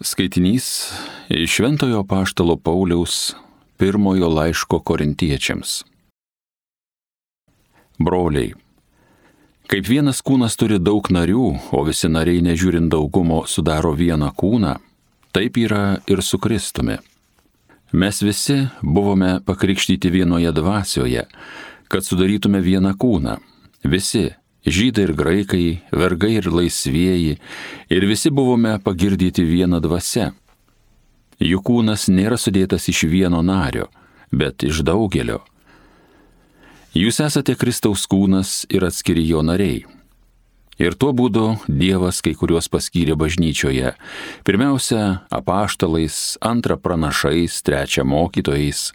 Skaitinys iš Šventojo Apaštalo Pauliaus pirmojo laiško Korintiečiams. Broliai, kaip vienas kūnas turi daug narių, o visi nariai nežiūrint daugumo sudaro vieną kūną, taip yra ir su Kristumi. Mes visi buvome pakrikštyti vienoje dvasioje, kad sudarytume vieną kūną. Visi, žydai ir graikai, vergai ir laisvieji, ir visi buvome pagirdyti viena dvasia. Jų kūnas nėra sudėtas iš vieno nario, bet iš daugelio. Jūs esate Kristaus kūnas ir atskiri jo nariai. Ir tuo būdu Dievas kai kuriuos paskyrė bažnyčioje. Pirmiausia, apaštalais, antra pranašais, trečia mokytojais,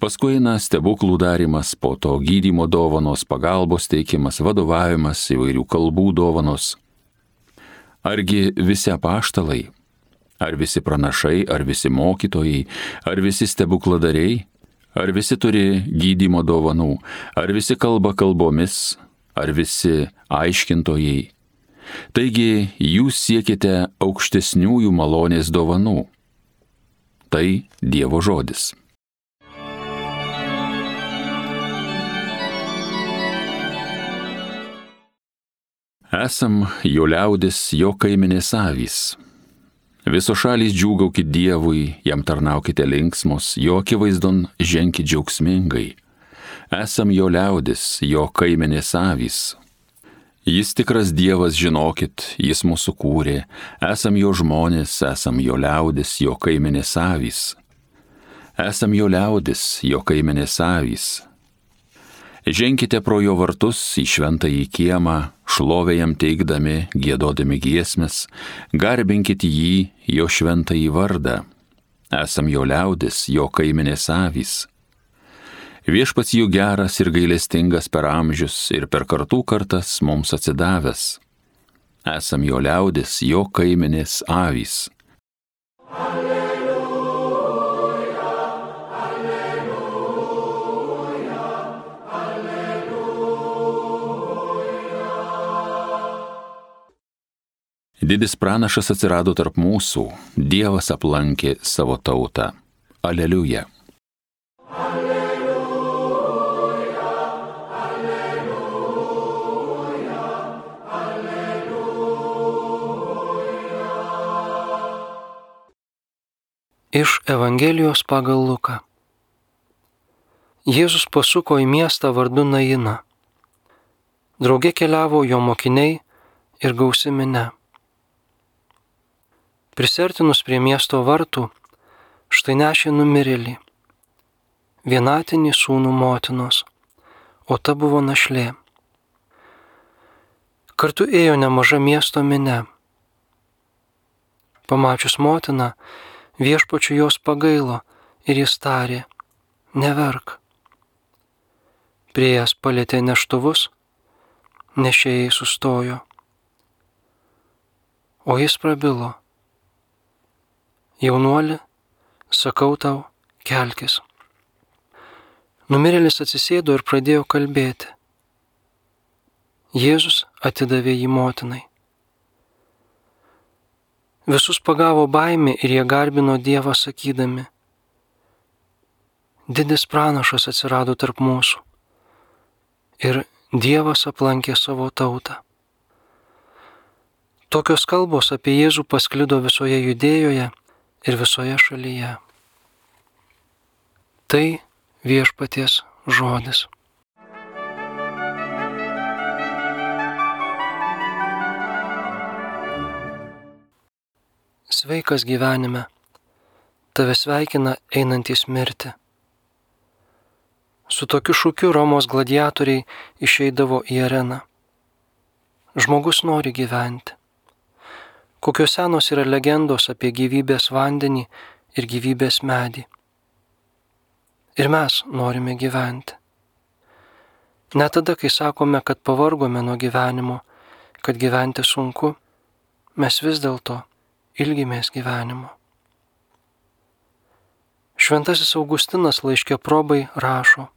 paskui eina stebuklų darymas, po to gydymo dovanos, pagalbos teikimas, vadovavimas, įvairių kalbų dovanos. Argi visi apaštalai, ar visi pranašai, ar visi mokytojai, ar visi stebukladariai, ar visi turi gydymo dovanų, ar visi kalba kalbomis, ar visi aiškintojai. Taigi jūs siekite aukštesniųjų malonės dovanų. Tai Dievo žodis. Esam jo liaudis, jo kaimenės avys. Visos šalys džiūgaukit Dievui, jam tarnaukite linksmos, jo akivaizdon ženkit džiaugsmingai. Esam jo liaudis, jo kaimenės avys. Jis tikras Dievas, žinokit, jis mūsų kūrė, esam jo žmonės, esam jo liaudis, jo kaimenės avys. Esam jo liaudis, jo kaimenės avys. Ženkite pro jo vartus į šventąjį kiemą, šlovę jam teikdami, giedodami giesmes, garbinkit jį, jo šventąjį vardą. Esam jo liaudis, jo kaimenės avys. Viešpats jų geras ir gailestingas per amžius ir per kartų kartas mums atsidavęs. Esam jo liaudis, jo kaimenės avys. Didis pranašas atsirado tarp mūsų, Dievas aplankė savo tautą. Aleliuja. Alleluja, alleluja, alleluja. Iš Evangelijos pagal Luką. Jėzus pasuko į miestą vardu Naina. Drauge keliavo jo mokiniai ir gausi minia. Prisertinus prie miesto vartų, štai nešė numirėlį, vienatinį sūnų motinos, o ta buvo našlė. Kartu ėjo nemaža miesto minia. Pamačius motiną, Viešpačiui jos pagailo ir jis tarė: neverk. Priėjęs palietė neštuvus, nešėjai sustojo. O jis prabilo: jaunuoli, sakau tau, kelkis. Numirėlis atsisėdo ir pradėjo kalbėti. Jėzus atidavė jį motinai. Visus pagavo baimė ir jie garbino Dievą sakydami: didis pranašas atsirado tarp mūsų ir Dievas aplankė savo tautą. Tokios kalbos apie Jėzų pasklido visoje Judėjoje ir visoje šalyje. Tai Viešpaties žodis. Sveikas gyvenime, tave sveikina einantys mirti. Su tokiu šūkiu Romos gladiatoriai išeidavo į areną. Žmogus nori gyventi. Kokios senos yra legendos apie gyvybės vandenį ir gyvybės medį. Ir mes norime gyventi. Net tada, kai sakome, kad pavargome nuo gyvenimo, kad gyventi sunku, mes vis dėlto ilgimės gyvenimo. Šventasis Augustinas laiške Probai rašo: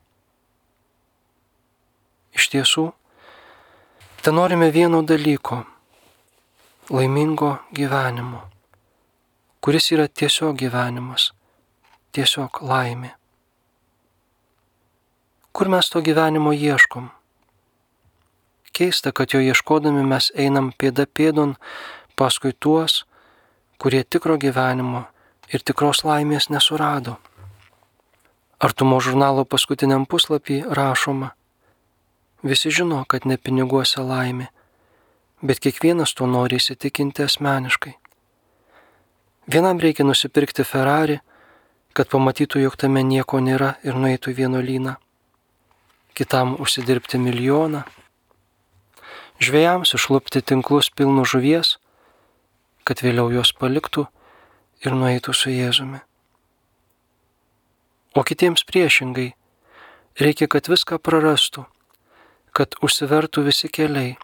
iš tiesų, tenorime vieno dalyko – laimingo gyvenimo, kuris yra tiesiog gyvenimas, tiesiog laimė. Kur mes to gyvenimo ieškom? Keista, kad jo ieškodami mes einam pėda pėdon paskui tuos, kurie tikro gyvenimo ir tikros laimės nesurado. Artumo žurnalo paskutiniam puslapį rašoma: visi žino, kad ne piniguose laimė, bet kiekvienas tuo nori įsitikinti asmeniškai. Vienam reikia nusipirkti Ferrari, kad pamatytų, jog tame nieko nėra ir nueitų į vienuolyną. Kitam užsidirbti milijoną. Žvejams išlupti tinklus pilnus žuvies, kad vėliau juos paliktų ir nueitų su Jėzumi. O kitiems priešingai, reikia, kad viską prarastų, kad užsivertų visi keliai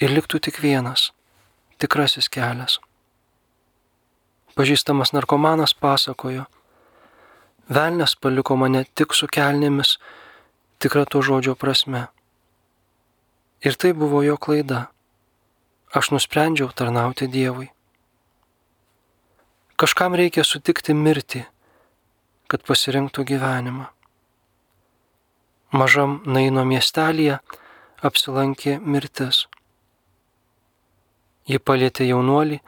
ir liktų tik vienas, tikrasis kelias. Pažįstamas narkomanas pasakojo: velnias paliko mane tik su kelnėmis, tikra to žodžio prasme. Ir tai buvo jo klaida. Aš nusprendžiau tarnauti Dievui. Kažkam reikia sutikti mirtį, kad pasirinktų gyvenimą. Mažam Naino miestelyje apsilankė mirtis. Ji palietė jaunuolį,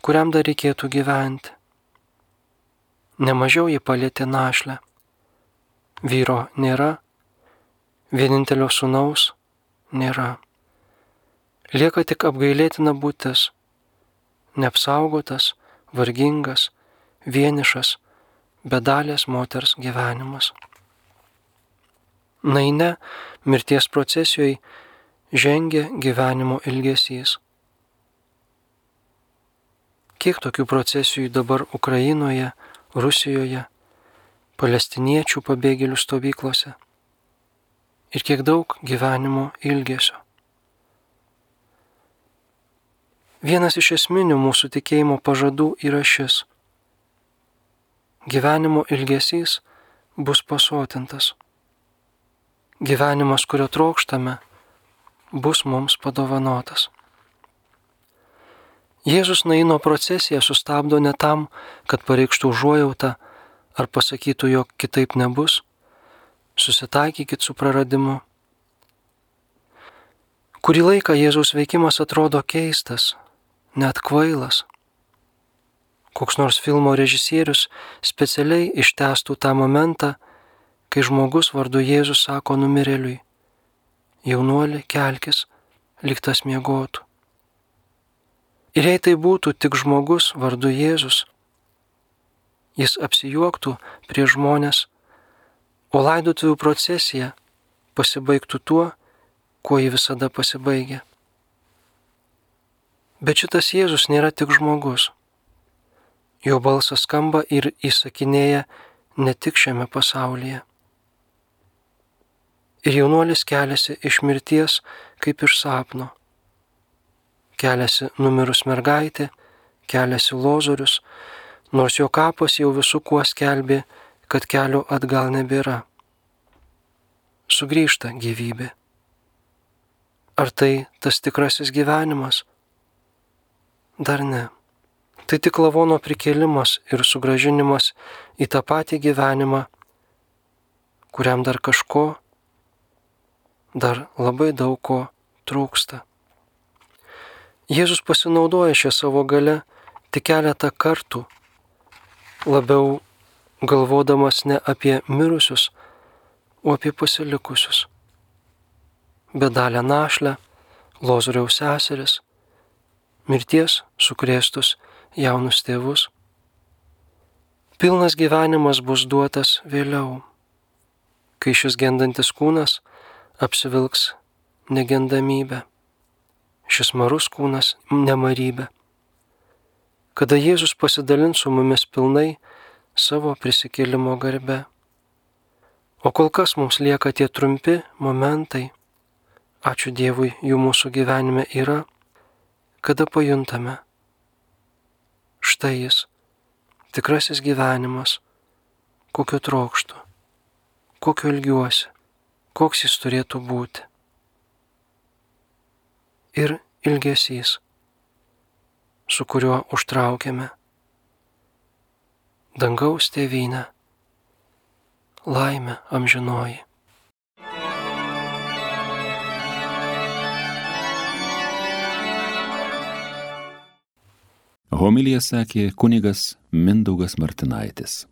kuriam dar reikėtų gyventi. Nemažiau ji palietė našlę. Vyro nėra, vienintelio sūnaus nėra. Lieka tik apgailėtina būtis, neapsaugotas, vargingas, vienišas, bedalės moters gyvenimas. Naine mirties procesijoje žengia gyvenimo ilgesys. Kiek tokių procesijų dabar Ukrainoje, Rusijoje, palestiniečių pabėgėlių stovyklose ir kiek daug gyvenimo ilgesio. Vienas iš esminių mūsų tikėjimo pažadų yra šis: gyvenimo ilgesys bus pasotintas. Gyvenimas, kurio trokštame, bus mums padovanotas. Jėzus Naino procesiją sustabdo ne tam, kad pareikštų užuojautą ar pasakytų, jog kitaip nebus, susitaikykit su praradimu. Kurį laiką Jėzaus veikimas atrodo keistas, net kvailas. Koks nors filmo režisierius specialiai ištęstų tą momentą, kai žmogus vardu Jėzus sako numirėliui: jaunuoli, kelkis, lyg tas miegotų. Ir jei tai būtų tik žmogus vardu Jėzus, jis apsijuoktų prie žmonės, o laidotuvių procesija pasibaigtų tuo, kuo ji visada pasibaigia. Bet šitas Jėzus nėra tik žmogus. Jo balsas skamba ir įsakinėja ne tik šiame pasaulyje. Ir jaunuolis keliasi iš mirties kaip iš sapno. Keliasi numirus mergaitė, keliasi Lozorius, nors jo kapas jau visų kuo skelbė, kad kelio atgal nebėra. Sugrįžta gyvybė. Ar tai tas tikrasis gyvenimas? Dar ne. Tai tik lavono prikėlimas ir sugrąžinimas į tą patį gyvenimą, kuriam dar kažko, dar labai daug ko trūksta. Jėzus pasinaudoja šią savo galę tik keletą kartų, labiau galvodamas ne apie mirusius, o apie pasilikusius. Bedalę našlę, Lozoriaus seseris, mirties sukrėstus jaunus tėvus. Pilnas gyvenimas bus duotas vėliau, kai šis gendantis kūnas apsivilks negendamybę, šis marus kūnas nemarybę, kada Jėzus pasidalins su mumis pilnai savo prisikėlimo garbe. O kol kas mums lieka tie trumpi momentai, ačiū Dievui, jų mūsų gyvenime yra, kada pajuntame: štai jis, tikrasis gyvenimas, kokio trokštu, kokio ilgiuosi, koks jis turėtų būti. Ir ilgesys, su kuriuo užtraukiame dangaus tėvynę, laimę amžinoji. Homiliją sakė kunigas Mindaugas Martinaitis.